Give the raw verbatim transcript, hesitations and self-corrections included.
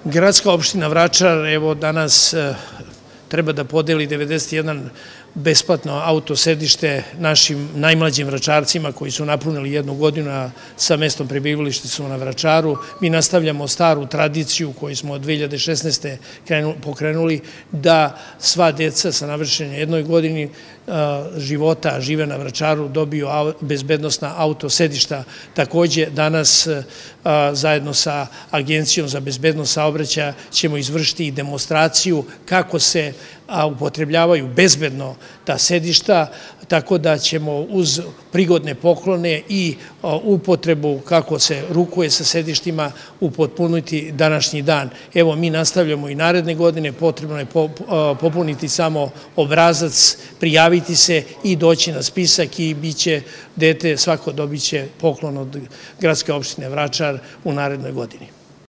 Gradska opština Vračar, evo danas treba da podeli devedeset jedan besplatno auto sedište našim najmlađim vračarcima koji su napunili jednu godinu, a sa mestom prebivališta su na Vračaru. Mi nastavljamo staru tradiciju koju smo od dve hiljade šesnaeste. pokrenuli, da sva deca sa navršenom jednoj godini života žive na Vračaru dobiju bezbednosna auto sedišta. Takođe, danas zajedno sa Agencijom za bezbednost saobraćaja ćemo izvršiti i demonstraciju kako se upotrebljavaju bezbedno ta sedišta, tako da ćemo uz prigodne poklone i upotrebu kako se rukuje sa sedištima upotpuniti današnji dan. Evo, mi nastavljamo i naredne godine, potrebno je popuniti samo obrazac, prijaviti se i doći na spisak i bit će dete, svako dobit će poklon od Gradske opštine Vračar u narednoj godini.